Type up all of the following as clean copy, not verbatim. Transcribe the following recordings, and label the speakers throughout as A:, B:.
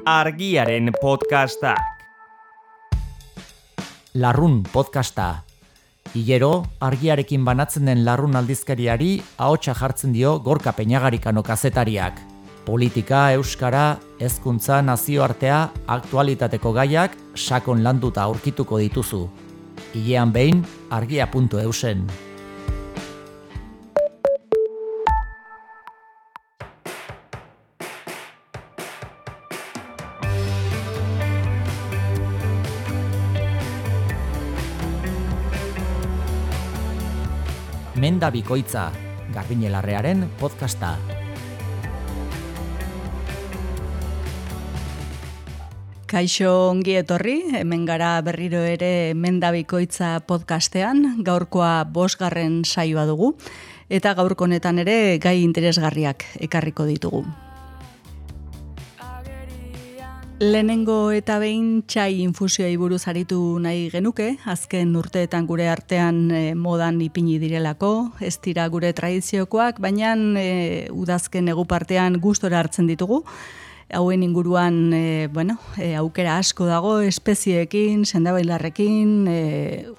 A: Argiaren podcastak.
B: Larrun podcasta. Hilero, argiarekin banatzen den larrun aldizkariari ahotsa jartzen dio Gorka Peñagarikano kazetariak. Politika, euskara, hezkuntza, nazioartea, aktualitateko gaiak sakon landuta aurkituko dituzu. Hilean behin, argia.eusen. Menda bikoitza, Garbine Larrearen podcasta.
C: Kaixo ongi etorri, hemen gara berriro ere Menda bikoitza podcastean, gaurkoa 5. saioa dugu, eta gaurko honetan ere gai interesgarriak ekarriko ditugu. Lehenengo eta behin txai infusioei buruz aritu nahi genuke, azken urteetan gure artean modan ipini direlako, ez dira gure tradiziokoak, baina udazken egu partean gustora hartzen ditugu. Hauen inguruan aukera asko dago, espezieekin, sendabailarrekin,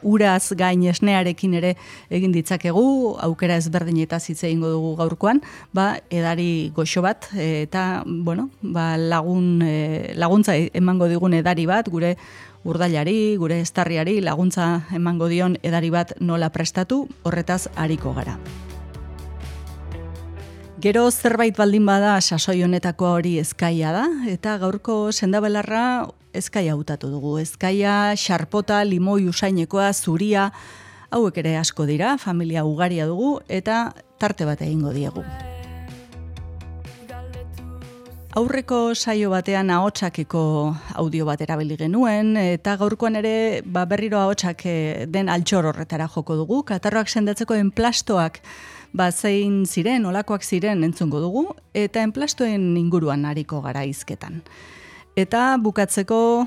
C: uraz gain esnearekin ere egin ditzakegu, aukera ezberdinetaz hitz egingo dugu gaurkoan, edari goxo bat, eta laguntza emango digun edari bat, gure urdailari, gure estarriari laguntza emango dion edari bat nola prestatu, horretaz ariko gara. Gero zerbait baldin bada sasoi honetako hori ezkaia da, eta gaurko sendabelarra ezkaia hautatu dugu. Ezkaia, xarpota, limoi usainekoa, zuria, hauek ere asko dira, familia ugaria dugu, eta tarte bat egingo diegu. Aurreko saio batean ahotsakeko audio bat erabili genuen, eta gaurkoan ere berriro ahotsak den altxor horretara joko dugu, katarroak sendatzeko enplastoak zein ziren, olakoak ziren entzungo dugu, eta enplastoen inguruan ariko gara hizketan. Eta bukatzeko,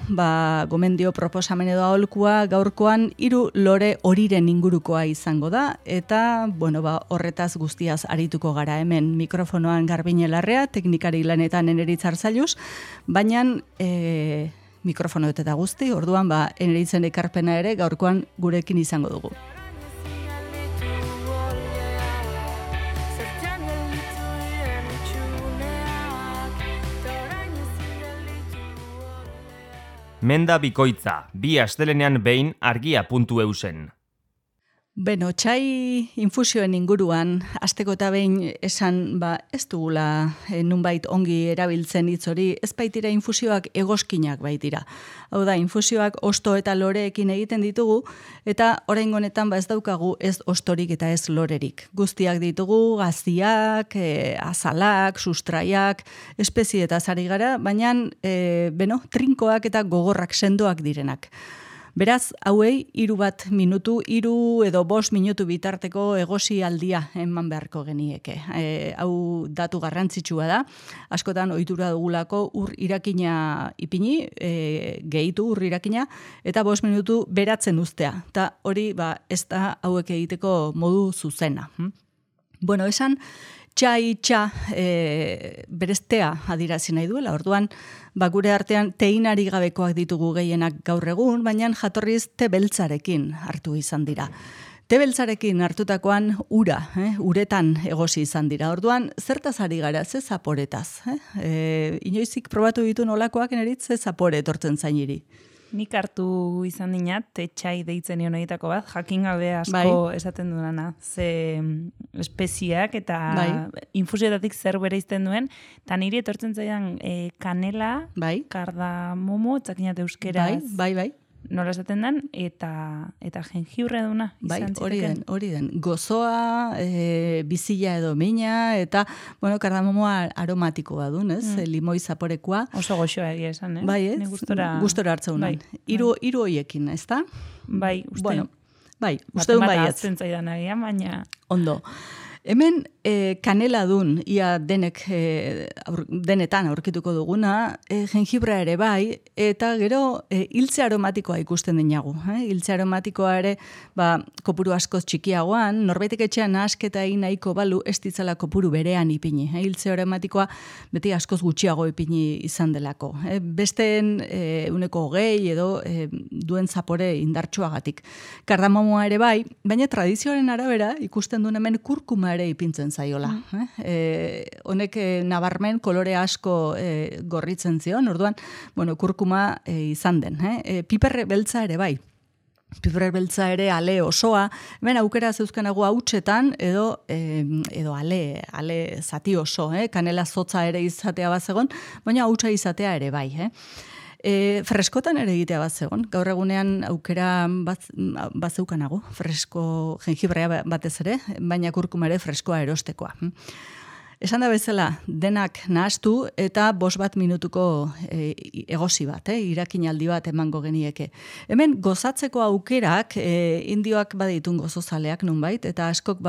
C: gomendio proposamen edo aholkua gaurkoan 3 lore horiren ingurukoa izango da, eta horretaz guztiaz arituko gara hemen mikrofonoan Garbine Larrea, teknikari lanetan Eneritz Arzailuz, baina mikrofono eta guzti, orduan Eneritzen ekarpena ere gaurkoan gurekin izango dugu.
A: Menda bikoitza, 2 astelenean behin argia.eusen.
C: Txai infusioen inguruan, asteko eta behin esan ez dugula nunbait ongi erabiltzen hitz hori, ez baitira infusioak egoskinak baitira. Hau da, infusioak osto eta loreekin egiten ditugu, eta oraingo honetan ez daukagu ez ostorik eta ez lorerik. Guztiak ditugu, gaziak, azalak, sustraiak, espezietaz ari gara, baina trinkoak eta gogorrak sendoak direnak. Beraz, hauei 3 minutu, 3 edo 5 minutu bitarteko egosi aldia eman beharko genieke. Hau datu garrantzitsua da, askotan ohitura dugulako ur irakina ipini, gehitu ur irakina, eta 5 minutu beratzen uztea. Eta hori ez da hauek egiteko modu zuzena. Esan, txa bereztea adirazi nahi duela, orduan, gure artean teinari gabekoak ditugu gehienak gaur egun, baina jatorriz te beltzarekin hartu izan dira. Te beltzarekin hartutakoan uretan egosi izan dira. Orduan, zertaz ari gara, ze zaporetaz? Inoizik probatu ditu nolakoak Eneritz, ze zapore etortzen zainiri?
D: Nik hartu izan dinat, txai deitzen nion horietako bat, jakin gabe asko esaten duena, ze espeziak eta infusioetatik zer bereizten duen, eta niri etortzen zaidan kanela, kardamomo, txakinat euskeraz, nola esaten den, eta jengibre duna izan ziteken.
C: Hori den. Gozoa, bizila edo mina, eta, kardamomoa aromatikoa duen, ez? Limoi zaporekoa.
D: Oso goxoa egia esan,
C: ez? Gustora hartzen unan. 3 hoiekin, ez da?
D: Uste duen
C: baietz.
D: Atzen zaidan agian, baina...
C: Ondo. Hemen kaneladun, ia denetan aurkituko duguna, jengibra ere bai, eta gero hiltze aromatikoa ikusten dinagu. Hiltze aromatikoa ere, kopuru askoz txikiagoan, norbaitek etxean nahasketa egin nahiko balu, ez ditzala kopuru berean ipini. Hiltze aromatikoa beti askoz gutxiago ipini izan delako. Besteen 20 edo duen zapore indartsuagatik. Kardamomoa ere bai, baina tradizioaren arabera ikusten duen hemen kurkuma ere ipintzen zaiola. Honek nabarmen kolore asko gorritzen zion, orduan, kurkuma izan den. Piperre beltza ere bai. Piperre beltza ere ale osoa, hemen aukera zeuzkanago hautsetan edo ale zati oso, kanela zotza ere izatea bazegon, baina hautsa izatea ere bai. Freskotan ere egitea bat zegoen. Gaur egunean aukera bat zeukanago, fresko jengibrea batez ere, baina kurkuma ere freskoa erostekoa. Esan da bezala, denak nahastu eta 5 minutuko egosi bat, irakinaldi bat emango genieke. Hemen gozatzeko aukerak indioak baditun gozozaleak nunbait, eta askok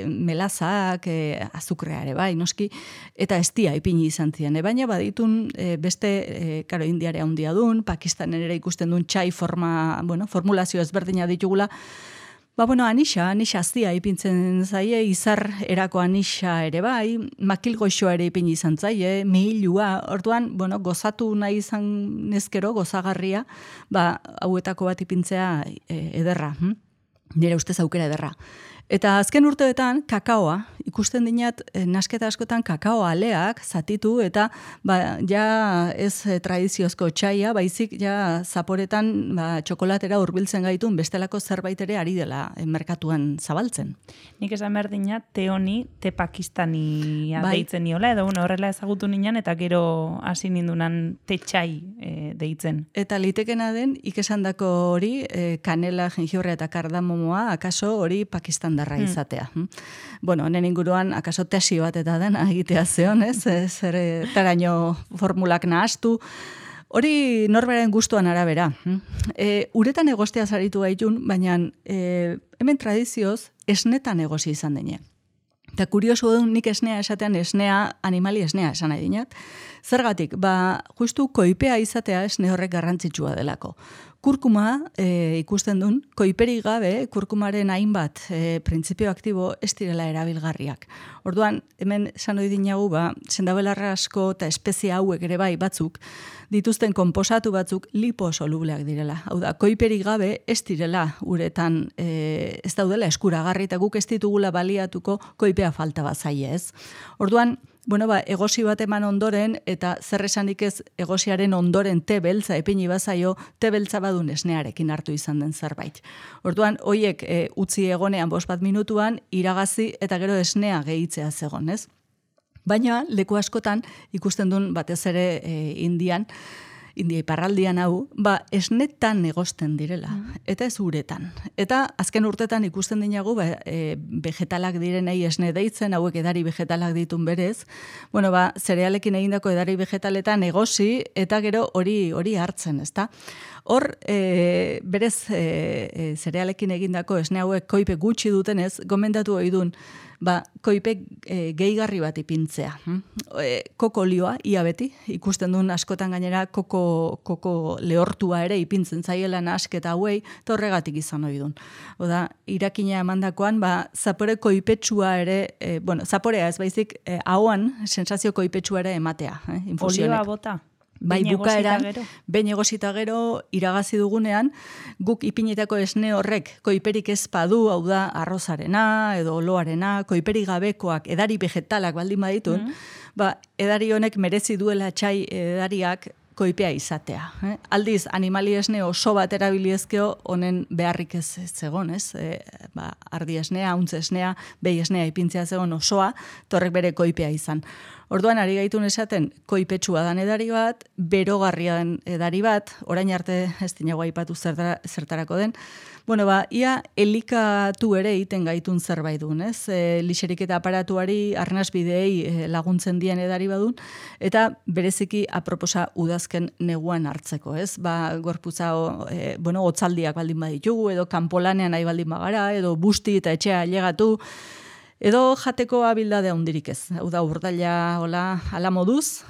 C: melazak, azukrea ere bai, noski, eta estia ipini izan ziren. Baina baditun beste, indiare handia dun, Pakistanen ere ikusten duen txai formulazio ezberdina ditugula. Anixa aztia ipintzen zaie, izar erako anixa ere bai, makilgoixoa ere ipin izan zaie, mehilua, orduan, gozatu nahi izan nezkero, gozagarria, hauetako bat ipintzea ederra, nire ustez aukera ederra. Eta azken urteetan, kakaoa, ikusten dinat, nasketa askotan kakao aleak zatitu, eta ja ez tradiziozko txaia, baizik ja zaporetan txokolatera hurbiltzen gaitun bestelako zerbait ere ari dela merkatuan zabaltzen.
D: Nik esan behar dinat, te honi, te pakistania deitzen niola, edo horrela ezagutu ninan, eta gero hasi nindunan te txai deitzen.
C: Eta litekena den, ikesandako hori, kanela, jengibrea eta kardamomoa, akaso hori Pakistan darra izatea. Honen inguruan, akaso tesi bat eta den egitea zeon, zer taraino formulak nahastu. Hori norberen gustuan arabera. Uretan egostea zaritu gaitun, baina hemen tradizioz esnetan egosi izan dene. Eta kurioso dut nik esnea esatean animali esnea esan nahi dinat. Zergatik, justu koipea izatea esne horrek garrantzitsua delako. Kurkuma ikusten duen, koiperik gabe, kurkumaren hainbat printzipio aktibo ez direla erabilgarriak. Orduan, hemen esan hori dinagu, sendabelarra asko eta espezie hauek ere bai batzuk, dituzten konposatu batzuk liposolubleak direla. Hau da, koiperik gabe ez direla uretan ez daudela eskuragarri eta guk ez ditugula baliatuko koipea falta bat zaie ez. Orduan, egosi bat eman ondoren, eta zer esanik ez egosiaren ondoren te beltza epini bazaio, te beltza badun esnearekin hartu izan den zerbait. Orduan, hoiek utzi egonean 5 minutuan, iragazi eta gero esnea gehitzea zegon, ez? Baina, leku askotan, ikusten duen batez ere India iparraldian hau, esnetan egosten direla, eta ez uretan. Eta azken urtetan ikusten dinagu, vegetalak direnei esne deitzen, hauek edari vegetalak ditun berez, zerealekin egindako edari vegetaletan egosi, eta gero hori hartzen, ezta? Hor, berez zerealekin egindako esne hauek koipe gutxi dutenez, gomendatu oidun, koipe gehigarri bat ipintzea. Koko olioa, ia beti, ikusten duen askotan gainera koko lehortua ere ipintzen zaiela nasketa hauei, eta horregatik izan ohi duen. Oda, irakina emandakoan, zapore koipetsua ere, zaporea ez baizik, ahoan sensazio koipetsua ere ematea.
D: Olioa bota?
C: Bukaeran, behin egosita gero, iragazi dugunean, guk ipinetako esne horrek koiperik ez badu, hau da, arrozarena, edo oloarena, koiperik gabekoak, edari vegetalak baldin baditun, edari honek merezi duela txai edariak koipea izatea. Aldiz, animali esne oso bat erabiliezkeo, honen beharrik ez zegon, ez? Ardi esnea, untze esnea, behi esnea ipintzea zegon osoa, torrek bere koipea izan. Orduan, ari gaitun esaten, koipetsua dan edari bat, berogarria den edari bat, orain arte ez dinago aipatu zertarako den, ia elikatu ere egiten gaitun zerbait duen, ez? Lixerik eta aparatuari arnasbideei laguntzen dien edari badun, eta bereziki aproposa udazken neguan hartzeko, ez? Gorputza, otzaldiak baldin baditugu, edo kanpolanean nahi baldin bagara, edo busti eta etxea ailegatu, Edo jateko abildade handirik ez. Hau da, urdaila ala moduz,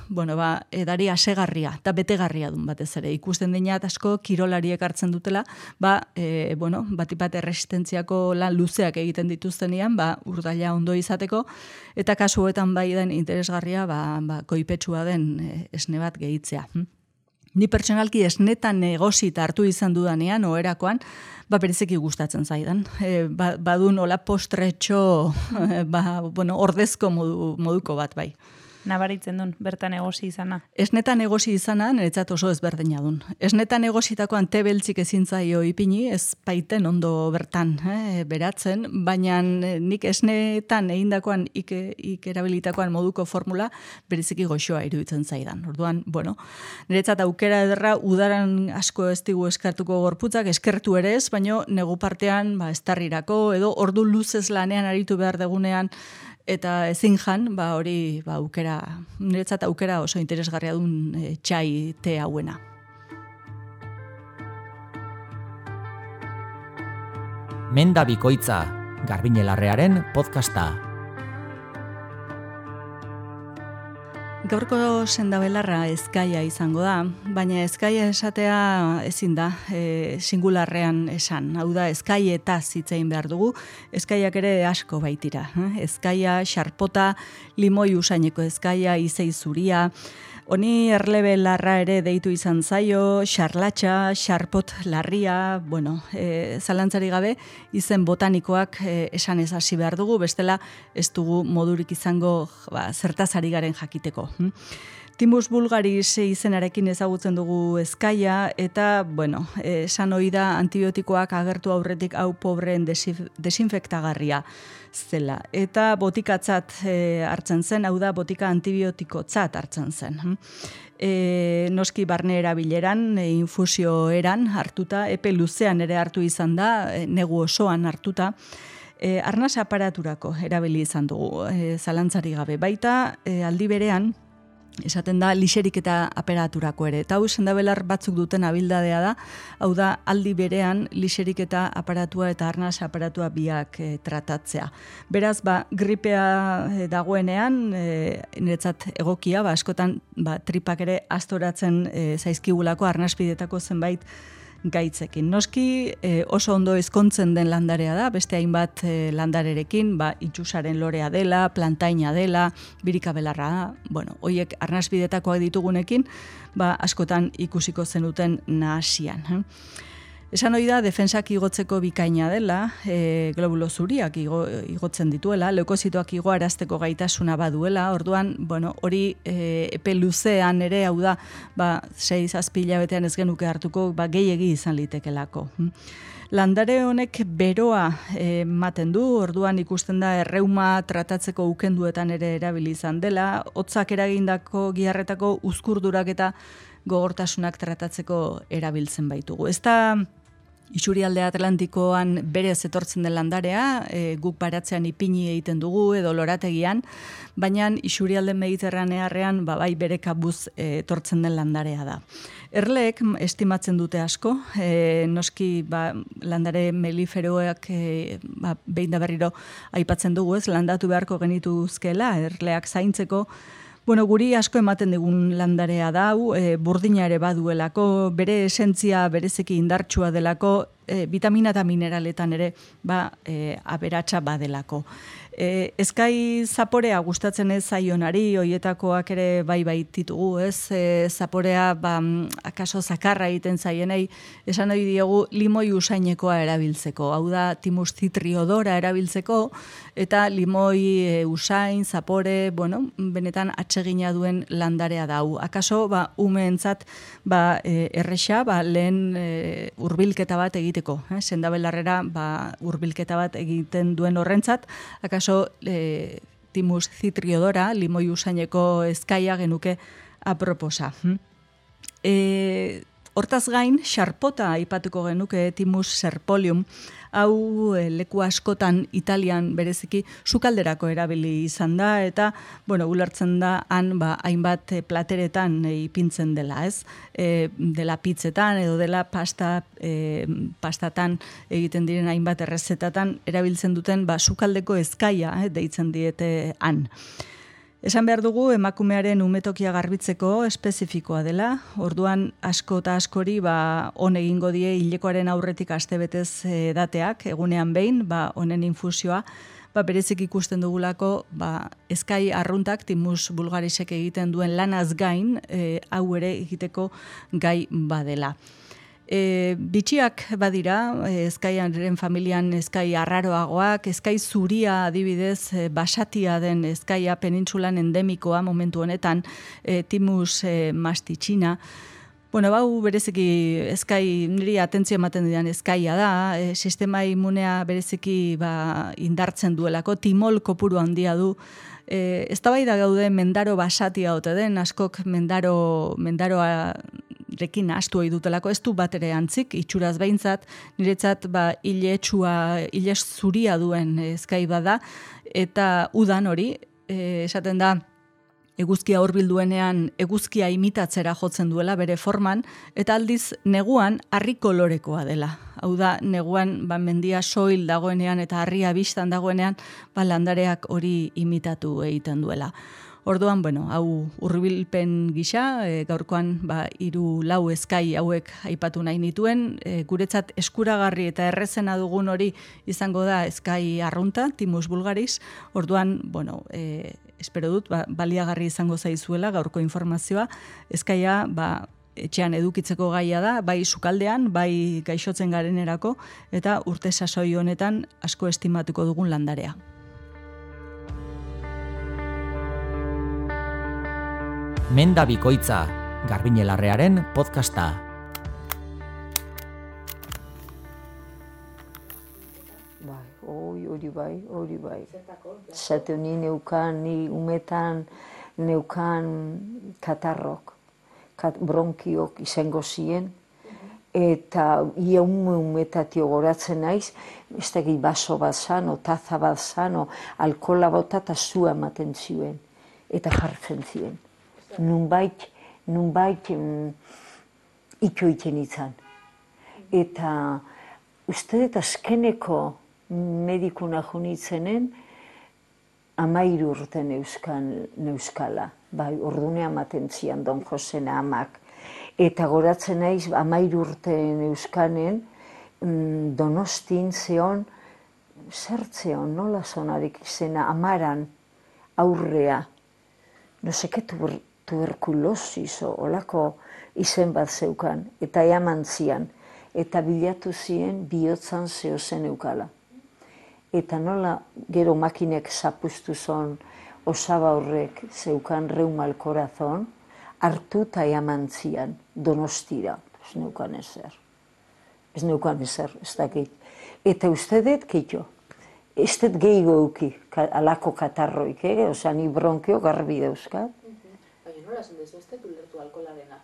C: edari asegarria eta betegarria dun batez ere. Ikusten dinat asko kirolariek hartzen dutela, batipat erresistentziako lan luzeak egiten dituztenean, urdaila ondo izateko, eta kasuetan bai den interesgarria, koipetsua den esne bat gehitzea. Ni pertsonalki esnetan negozita hartu izan dudanean, oherakoan, bereziki gustatzen zaidan. Badun hola postretxo, ordezko moduko bat bai.
D: Nabaritzen duen, bertan egosi izana.
C: Esnetan egosi izana, niretzat oso ezberdina dun. Esnetan egositakoan te beltzik ezin zaio ipini, ez baiten ondo bertan beratzen, baina nik esnetan egindakoan ik erabilitakoan moduko formula bereziki goxoa iruditzen zaidan. Orduan, niretzat aukera ederra udaran asko ez digu eskartuko gorputzak, eskertu ere ez, baina negu partean estarrirako edo ordu luzez lanean aritu behar degunean, eta ezin jan, hori aukera, niretzat aukera oso interesgarria duen txai te hauena.
B: Menda Bikoitza, Garbiñe Larrearen podcasta.
C: Gaurko sendabelarra ezkaia izango da, baina ezkaia esatea ezin da singularrean esan. Hau da, ezkaietaz hitz egin behar dugu, ezkaiak ere asko baitira. Ezkaia, xarpota, limoi usaineko ezkaia, izei zuria, honi erlebe larra ere deitu izan zaio, xarlatxa, xarpot larria, zalantzari gabe, izen botanikoak esan ez hasi behar dugu, bestela ez dugu modurik izango zertazari garen jakiteko. Timus vulgaris izenarekin ezagutzen dugu ezkaia, eta, esan ohi da antibiotikoak agertu aurretik hau pobreen desinfektagarria zela. Eta botikatzat hartzen zen, hau da botika antibiotikotzat hartzen zen. Noski barne erabileran, infusio eran hartuta, epe luzean ere hartu izan da, negu osoan hartuta, arnas aparaturako erabili izan dugu, zalantzari gabe. Baita, aldi berean, esaten da lixerik eta aparaturako ere. Eta hau sendabelar batzuk duten abildadea da, hau da aldi berean lixerik eta aparatua eta arnas aparatua biak tratatzea. Beraz, gripea dagoenean, niretzat egokia, askotan tripak ere astoratzen zaizkigulako arnaspidetako zenbait gaitzekin. Noski oso ondo ezkontzen den landarea da, beste hainbat landarerekin, itxusaren lorea dela, plantaina dela, birikabelarra, hoiek arnasbidetakoak ditugunekin, askotan ikusiko zenuten nahasian. Esan ohi da, defensak igotzeko bikaina dela, globulo zuriak igotzen dituela, leukozitoak igoarazteko gaitasuna baduela, orduan, hori epe luzean ere, hau da, 6-7 hilabetean ez genuke hartuko, gehiegi izan litekelako. Landare honek beroa ematen du, orduan ikusten da erreuma tratatzeko ukenduetan ere erabili izan dela, hotzak eragindako giharretako uzkurdurak eta gogortasunak tratatzeko erabiltzen baitugu. Ez da Isurialde Atlantikoan berez etortzen den landarea, guk baratzean ipini egiten dugu edo lorategian, baina Isurialde Mediterranearrean bai bere kabuz etortzen den landarea da. Erleek estimatzen dute asko, noski landare meliferoak behin da berriro aipatzen dugu, ez landatu beharko genituzkela, erleak zaintzeko. Guri asko ematen digun landarea da, burdina ere baduelako, bere esentzia berezeki indartsua delako, vitamina eta mineraletan ere aberatsa badelako. Ezkai zaporea gustatzen ez zaionari, hoietakoak ere bai ditugu, ez? Zaporea akaso zakarra egiten zaienei, esan ohi diegu limoi usainekoa erabiltzeko. Hau da, Thymus citriodora erabiltzeko, eta limoi usain, zapore, benetan atsegina duen landarea da. Akaso, umeentzat erresa, lehen hurbilketa bat egiteko. Sendabelarrera hurbilketa bat egiten duen horrentzat, akaso Thymus citriodora, limoi usaineko ezkaia genuke aproposa. Hortaz gain, xarpota aipatuko genuke Thymus serpolium, hau leku askotan Italian bereziki sukalderako erabili izan da, eta, ulertzen da, han, hainbat plateretan ipintzen dela, ez? Dela pizzetan edo dela pastatan egiten diren hainbat errezetatan erabiltzen duten sukaldeko ezkaia deitzen diete han. Esan behar dugu, emakumearen umetokia garbitzeko espezifikoa dela, orduan asko eta askori on egingo die hilekoaren aurretik astebetez dateak, egunean behin, honen infusioa, berezik ikusten dugulako, ezkai arruntak Thymus vulgarisek egiten duen lanaz gain, hau ere egiteko gai badela. Bitxiak badira, ezkaiaren familian ezkai arraroagoak, ezkai zuria adibidez, basatia den ezkaia penintsulan endemikoa momentu honetan, Thymus mastitxina. Bau bereziki ezkai, niri atentzio ematen didan ezkaia da, sistema immunea bereziki indartzen duelako, timol kopuru handia du. Eztabaida gaude mendaro basatia ote den, askok mendaroa rekin astu ohi dutelako, ez du bat ere antzik, itxuraz behintzat, niretzat ile zuria duen ezkai bada, eta udan hori, esaten da, eguzkia hurbilduenean eguzkia imitatzera jotzen duela bere forman, eta aldiz neguan harri kolorekoa dela. Hau da, neguan mendia soil dagoenean eta harria bistan dagoenean, landareak hori imitatu egiten duela. Orduan, hau hurbilpen gisa, gaurkoan 3-4 ezkai hauek aipatu nahi nituen, guretzat eskuragarri eta errezena dugun hori izango da ezkai arrunta, Thymus vulgaris, orduan, espero dut, baliagarri izango zaizuela gaurko informazioa, ezkaia, etxean edukitzeko gaia da, bai sukaldean, bai gaixotzen garenerako, eta urte sasoi honetan asko estimatuko dugun landarea.
B: Menda Bikoitza, Garbiñe Larrearen podcasta.
E: Hori bai. Zate ni neukan, ni umetan neukan katarrok, bronkiok izango ziren, eta ia umetatio goratzen naiz, ez dakit baso bat zan, taza bat zan, alkola bota eta zua ematen zuen, eta jartzen ziren. Nunbait itxoiten izan. Eta uste dut azkeneko medikuna junitzenen 13 urte neuskala. Ordunean ematen zian Don Josena amak. Eta goratzen naiz 13 urte neuskanen Donostin zeon, zertzeon, nola zonarik izena, Amaran aurrea. No seke tuberkulosis olako izen bat zeukan, eta eaman zian, eta bilatu ziren bihotzan zehozen eukala. Eta nola gero makinek zapustu zon osaba horrek zeukan reumal korazon, hartu eta eaman zian Donostira. Ez neukan ezer, ez dakit. Eta uste dut, kitxo, ez dut gehiago euki, alako katarroik, osea, ni bronkio garbi dauzkat.
F: Baina nola zen dezu, ez dut ulertu alkoholarena?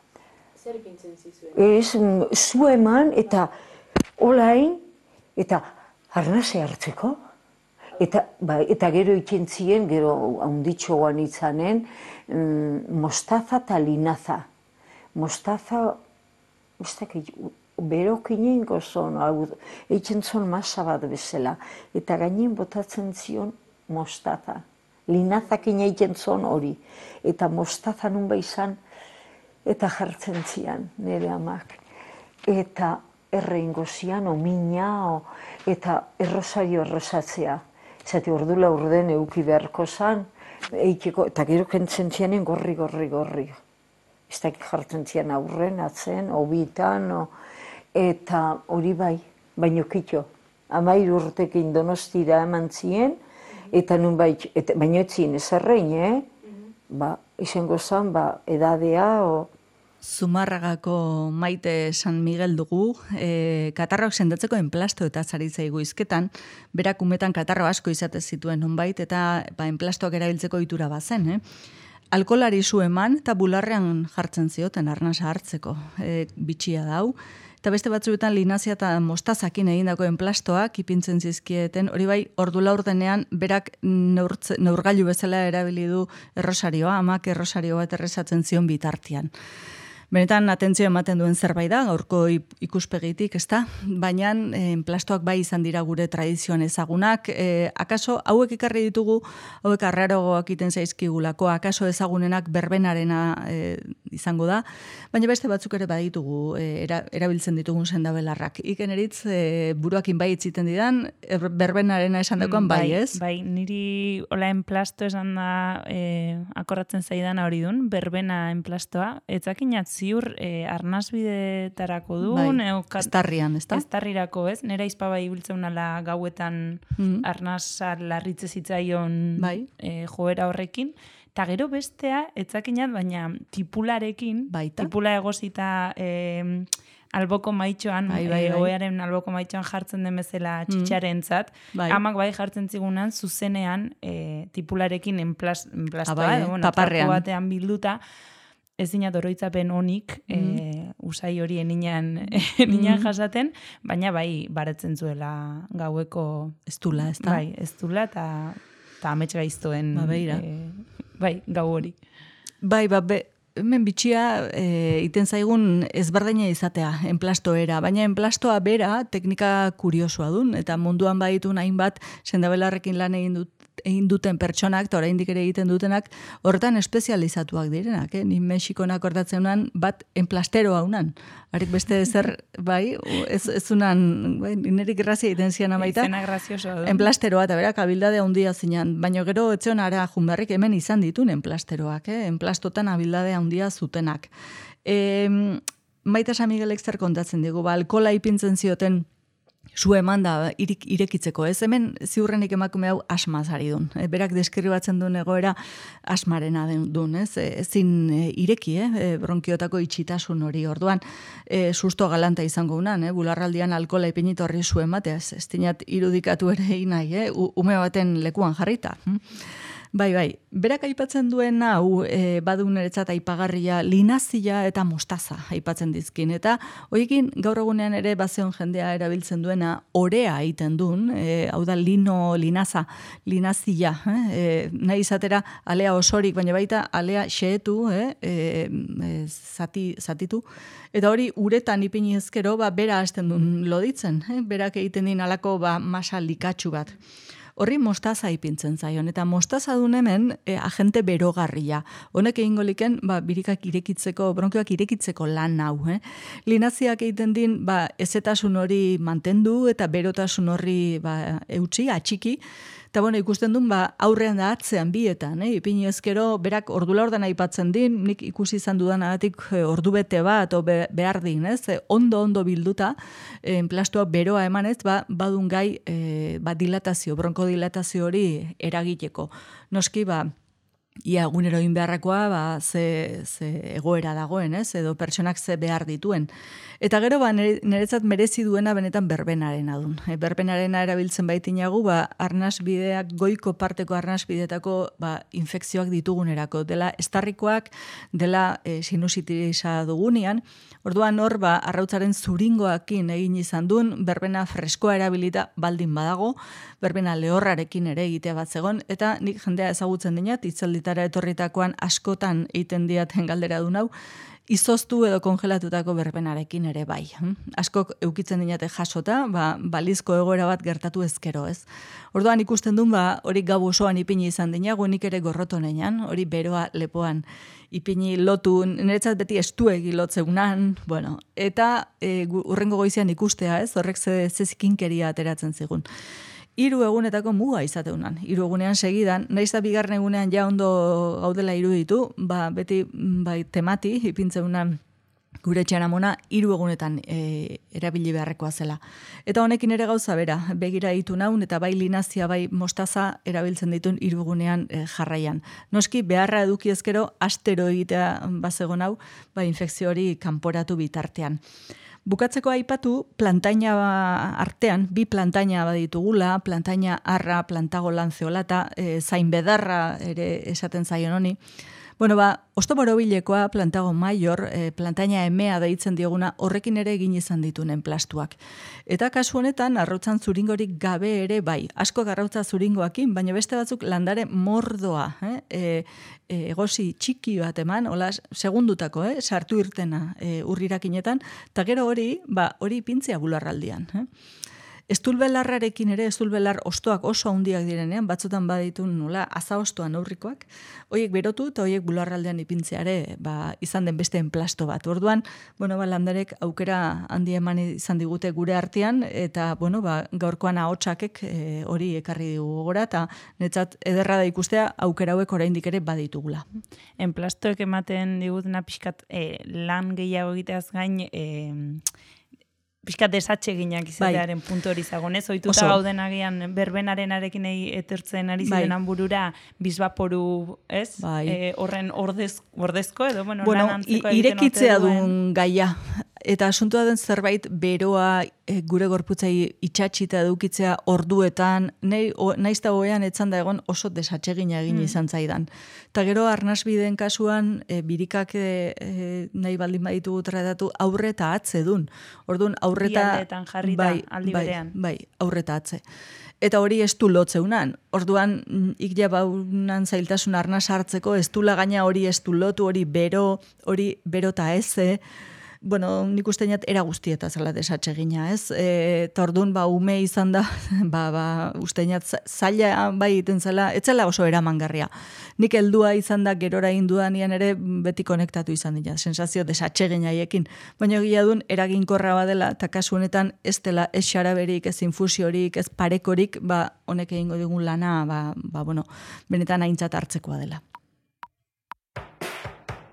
F: Zer ipintzen zizuen?
E: Ez, zu eman, eta olain, eta arnase hartzeko. Eta gero ikentzien, gero haunditxoan itzanen, mostaza eta linaza. Mostaza, ez dakit, berokinen gozon, eitzen zon masa bat bezala. Eta gainen botatzen zion mostaza. Linazakin eitzen zon hori. Eta mostaza nun izan, eta jartzen zian nire amak. Eta erreingo zian, omina, eta errosario errosatzea. Zati ordula urden euki beharko zan, eta gero kentzen zianen gorri. Ez dakit jartzen zian aurren, atzen, obitan, eta hori bai, baino kitxo. 13 urtekin Donostira eman zien, eta nun bai, baino etzien ezarrein, izango zan, edadea,
C: Zumarragako Maite San Miguel dugu, katarroak sendatzeko enplasto eta zaritzaigu izketan, berak umetan katarro asko izatez zituen nonbait, eta enplastoak erabiltzeko ohitura bazen. alkolari zu eman, eta bularrean jartzen zioten arnasa hartzeko, bitxia dau. Eta beste batzuetan linazia eta mostazakin egindako enplastoak ipintzen zizkieten, hori bai, ordu laurdenean berak neurgailu bezala erabili du errosarioa, amak errosario bat errezatzen zion bitartean. Benetan atentzio ematen duen zerbait da, gaurko ikuspegitik, ezta? Baina enplastoak bai izan dira gure tradizioan ezagunak, akaso hauek ekarri ditugu, hauek arrarogoak iten zaizkigulako, akaso ezagunenak berbenarena izango da, baina beste batzuk ere baditugu erabiltzen ditugun sendabelarrak. Iken eritz, buruakin bai itziten didan, berbenarena esan dakoan bai, ez?
D: Bai, niri hola enplasto esan da akorratzen zaidana hori dun, berbena enplastoa, etzakinat ziur arnasbidetarako duen.
C: Bai, estarrian, ez da?
D: Estarrirako, ez? Nera izpaba ibiltzen nala gauetan arnasa larritze zitzaion joera horrekin. Eta gero bestea, etzakinat, baina tipularekin, tipula egosita alboko maitxoan, oearen alboko maitxoan jartzen den bezala txitxarentzat, amak bai jartzen zigunan zuzenean tipularekin enplastoa, taparrean batean bilduta, ez dinat oroitzapen honik usai hori eninan jasaten, baina bai baretzen zuela gaueko
C: estula, ez da?
D: Bai, estula eta amets gaiztoen gau hori.
C: Bai, hemen bitxia iten zaigun ezberdina izatea, enplastoera, baina enplastoa bera teknika kuriosoa dun, eta munduan baditu hainbat sendabelarrekin lan egin duten pertsonak, eta oraindik ere egiten dutenak, horretan espezializatuak direnak. Ni Mexikon akordatzen unan, bat enplasteroa unan. Harik beste zer, bai, ez unan, nirerik grazia egiten zian amaita.
D: Izena graziosoa du.
C: Enplasteroa, eta berak abildade handia zinan, baina gero etxeon ara junberrik hemen izan ditun enplasteroak, enplastotan abildade handia zutenak. Maita San Miguelek zer kontatzen digu, alkola ipintzen zioten zu eman da irekitzeko, ez? Hemen ziurrenik emakume hau asmaz ari dun. Berak deskribatzen duen egoera asmarena duen, ez? Ezin ireki, bronkiotako itxitasun hori orduan, susto galanta izango unan, bularraldian alkola ipinit horri zu ematea, ez dinat irudikatu ere nahi, ume baten lekuan jarrita. Bai, berak aipatzen duen hau badu niretzat aipagarria linazia eta mostaza aipatzen dizkin, eta horiekin gaur egunean ere bazeon jendea erabiltzen duena orea egiten duen, hau da linaza, linazia, nahi izatera alea osorik, baina baita alea xeetu, zatitu, eta hori uretan ipini ezkero, bera hasten duen loditzen, berak egiten din alako masa likatsu bat. Horri mostaza ipintzen zaion, eta mostaza duen hemen agente berogarria. Honek egingo liken, birikak irekitzeko, bronkioak irekitzeko lan hau. Linaziak egiten din, ezetasun hori mantendu, eta berotasun horri eutxi, atxiki, eta ikusten duen, aurrean da atzean bietan, ipini ezkero, berak ordula ordan aipatzen din, nik ikusi izan dudan agatik ordu bete bat, behar din, ondo bilduta, enplastoa beroa emanez, badun gai dilatazio, bronkodilatazio hori eragiteko. Noski, ia egunero egin beharrakoa, ze egoera dagoen, edo pertsonak ze behar dituen. Eta gero, niretzat merezi duena benetan berbenarena dun. Berbenarena erabiltzen baitinagu, arnasbideak, goiko parteko arnasbideetako infekzioak ditugunerako. Dela estarrikoak, dela sinusitisa dugunean. Orduan hor, arrautzaren zuringoakin egin izan duen, berbena freskoa erabilita baldin badago, berbena lehorrarekin ere egitea bat zegon, eta nik jendea ezagutzen dinat, itzalditara etorritakoan askotan egiten diaten galdera du nau, izoztu edo kongelatutako berbenarekin ere bai. Askok eukitzen dinate jasota, balizko egoera bat gertatu ezkero, ez? Orduan ikusten duen, hori gau osoan ipini izan dinago, nik ere gorrotonean, hori beroa lepoan ipini lotu, niretzat beti estuegi lotzeunan, eta urrengo goizean ikustea, ez? Horrek zezikinkeria ateratzen zigun. 3 egunetako muga izateunan. 3 egunean segidan, naiz da bigarren egunean ja ondo gaudela iruditu, beti temati ipintzeunan gure etxean amona 3 egunetan erabili beharrekoa zela. Eta honekin ere gauza bera, begira ditu naun, eta bai linazia, bai mostaza erabiltzen ditun 3 egunean jarraian. Noski, beharra eduki ezkero, astero egitea bazegon hau, infekzio hori kanporatu bitartean. Bukatzeko aipatu, plantaina artean, 2 plantaina baditugula, plantaina arra, plantago lanzeolata, zain bedarra ere esaten zaion honi. Bueno, osto borobilekoa plantago maior, plantaina emea deitzen dioguna, horrekin ere egin izan ditunen plastuak. Eta kasu honetan, arrautzan zuringorik gabe ere bai. Asko arrautza zuringoakin, baina beste batzuk landare mordoa, egosi txiki bat eman, hola segundutako, sartu irtena urrirakinetan, eta gero hori pintzea bularraldian. Estulbelarrarekin ere, estulbelar ostoak oso handiak direnean, batzutan baditu nola azaostoan aurrikoak, horiek berotu eta horiek bularraldean ipintzeare izan den beste enplasto bat. Orduan, landarek aukera handi eman izan digute gure artean, eta gaurkoan ahotsakek hori ekarri dugu gora, eta netzat ederra da ikustea aukera hauek oraindik ere baditugula.
D: Enplastoek ematen digutena pixkat lan gehiago egiteaz gain, pixkat desatxeginak izatearen puntu hori zagonez, oituta gauden agian berbenarenarekin etortzen ari zirenan burura bizbaporu, ez? Horren ordezko edo, lan antzeko
C: irekitzea duen gaia. Eta asuntua den zerbait beroa gure gorputzai itxatxita edukitzea orduetan, naizta hoean etzan da egon oso desatsegina egin izan zaidan. Eta gero arnasbideen kasuan birikak nahi baldin baditugu tratatu aurre eta atze dun. Orduan aurreta
D: aldeetan jarri da aldi berean.
C: Bai, aurreta atze. Eta hori ez du lotzeunan. Orduan, ikja baunan zailtasun arnas hartzeko, ez du lagaina hori ez du lotu, hori bero eta eze. Nik usteñat era guztieta zela desatsegina, ez? Eta orduan, ume izan da, usteñat zaila bai iten zela, etzela oso eramangarria. Nik heldua izan da, gerora induanian ere beti konektatu izan dira, sensazio desatsegina haiekin. Baina egia duen, eraginkorra badela, eta kasu honetan ez dela, ez xaraberik, ez infusiorik, ez parekorik, honek egingo digun lana, benetan aintzat hartzekoa dela.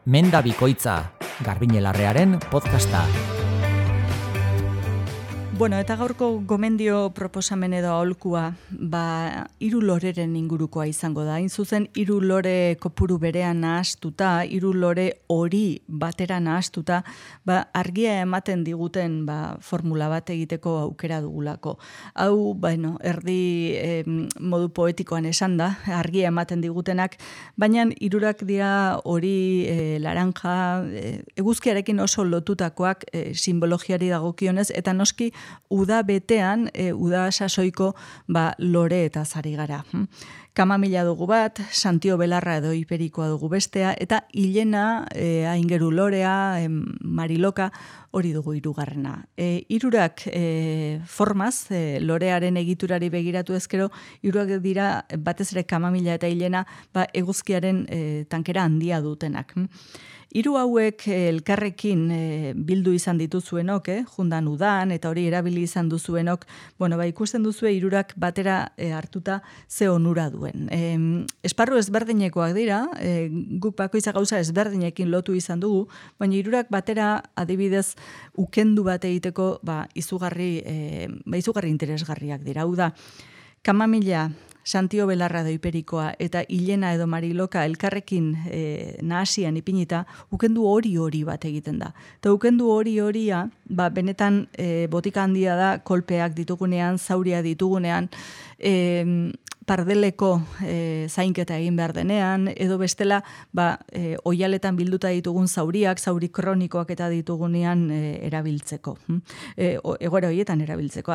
B: Menda Bikoitza, Garbiñelarrearen podcasta.
C: Eta gaurko gomendio proposamen edo aholkua, 3 loreren ingurukoa izango da. Hain zuzen, 3 lore kopuru berean nahastuta, 3 lore hori batera nahastuta, argia ematen diguten formula bat egiteko aukera dugulako. Hau, erdi modu poetikoan esan da, argia ematen digutenak, baina 3 dira hori laranja, eguzkiarekin oso lotutakoak simbologiari dagokionez, eta noski uda betean, uda sasoiko lore eta zari gara. Kamamila dugu bat, Santio Belarra edo Iperikoa dugu bestea, eta Ilena, Aingeru Lorea, Mariloka, hori dugu 3. 3 formaz, lorearen egiturari begiratu ezkero, 3 dira batez ere Kamamila eta Ilena eguzkiaren tankera handia dutenak. 3 hauek elkarrekin bildu izan dituzuenok, jundan udan, eta hori erabili izan duzuenok, ikusten duzue 3 batera hartuta ze onura duen. Esparru ezberdinekoak dira, guk bakoitza gauza ezberdinekin lotu izan dugu, baina 3 batera adibidez ukendu bat egiteko izugarri interesgarriak dira. Hau da, Kamamila, Santio Belarra edo Iperikoa eta Ilena edo Mariloka elkarrekin nahasian ipinita, ukendu hori bat egiten da. Eta ukendu horia, benetan botika handia da, kolpeak ditugunean, zauria ditugunean, pardeleko zainketa egin behar denean, edo bestela oialetan bilduta ditugun zauriak, zauri kronikoak eta ditugunean erabiltzeko. Egoera horietan erabiltzeko.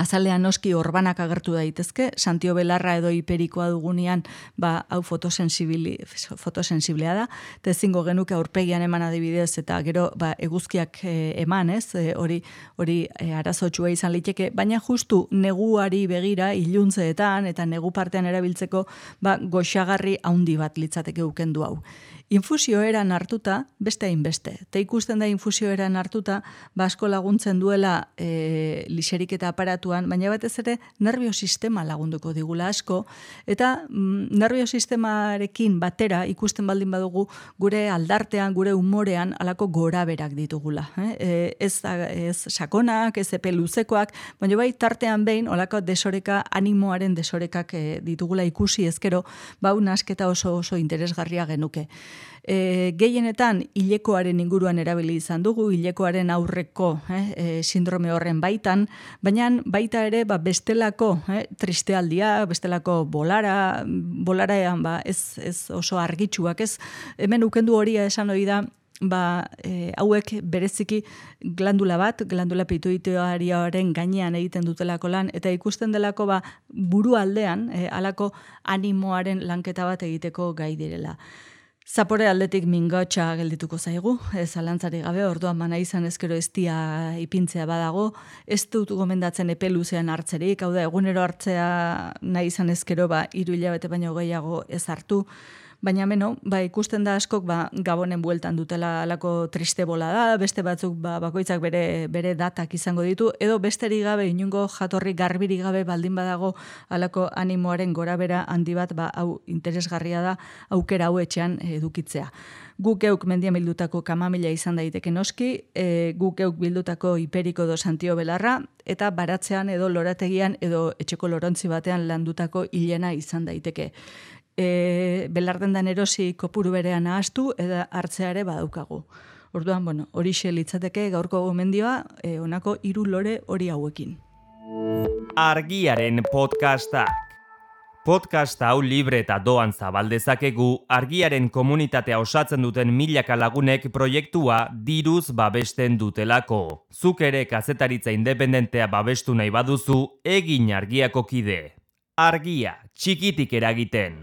C: Azalean noski orbanak agertu daitezke, Santio Belarra edo Iperikoa dugunean, hau fotosensiblea da, eta ezingo genuke aurpegian eman adibidez, eta gero eguzkiak eman, ez, hori arazotsua izan liteke, baina justu neguari begira, iluntzeetan, eta negu partean erabiltzeko, goxagarri haundi bat litzateke ukendu hau. Infusioeran hartuta, beste hainbeste. Eta ikusten da infusioeran hartuta, asko laguntzen duela liserik eta aparatuan, baina batez ere nerviosistema lagunduko digula asko, eta nerviosistemarekin batera ikusten baldin badugu gure aldartean, gure umorean alako goraberak ditugula. Ez sakonak, ez epe luzekoak, baina bai tartean behin olako desoreka, animoaren desorekak ditugula ikusi ezkero, nasketa oso interesgarria genuke. Gehienetan hilekoaren inguruan erabili izan dugu, hilekoaren aurreko sindrome horren baitan, baina baita ere bestelako tristealdia, bestelako bolaraean ez oso argitsuak, ez hemen ukendu horia esan hori da, hauek bereziki glandula pituitarioaren gainean egiten dutelako lan, eta ikusten delako buru aldean, halako animoaren lanketa bat egiteko gai direla. Zapore aldetik mingotxa geldituko zaigu, zalantzari gabe, orduan bana izan ezkero eztia ipintzea badago, ez dut gomendatzen epe luzean hartzerik, hau da, egunero hartzea nahi izan ezkero 3 hilabete baino gehiago ez hartu, baina ikusten da askok Gabonen bueltan dutela alako triste bola da, beste batzuk bakoitzak bere datak izango ditu, edo besterik gabe, inungo jatorri garbirik gabe baldin badago alako animoaren gorabera handi bat, hau interesgarria da aukera hau etxean edukitzea. Guk euk mendian bildutako kamamila izan daiteke noski, guk euk bildutako hiperiko do Santio Belarra, eta baratzean edo lorategian edo etxeko lorontzi batean landutako hilena izan daiteke. Belardendan erosi kopuru berean ahastu eta hartzeare badaukagu. Orduan, horixe litzateke gaurko gomendioa, honako 3 lore hori hauekin.
A: Argiaren podcastak. Podcast hau libre eta doan zabaldezakegu Argiaren komunitatea osatzen duten milaka lagunek proiektua diruz babesten dutelako. Zuk ere kazetaritza independentea babestu nahi baduzu, egin Argiako kide. Argia, txikitik eragiten.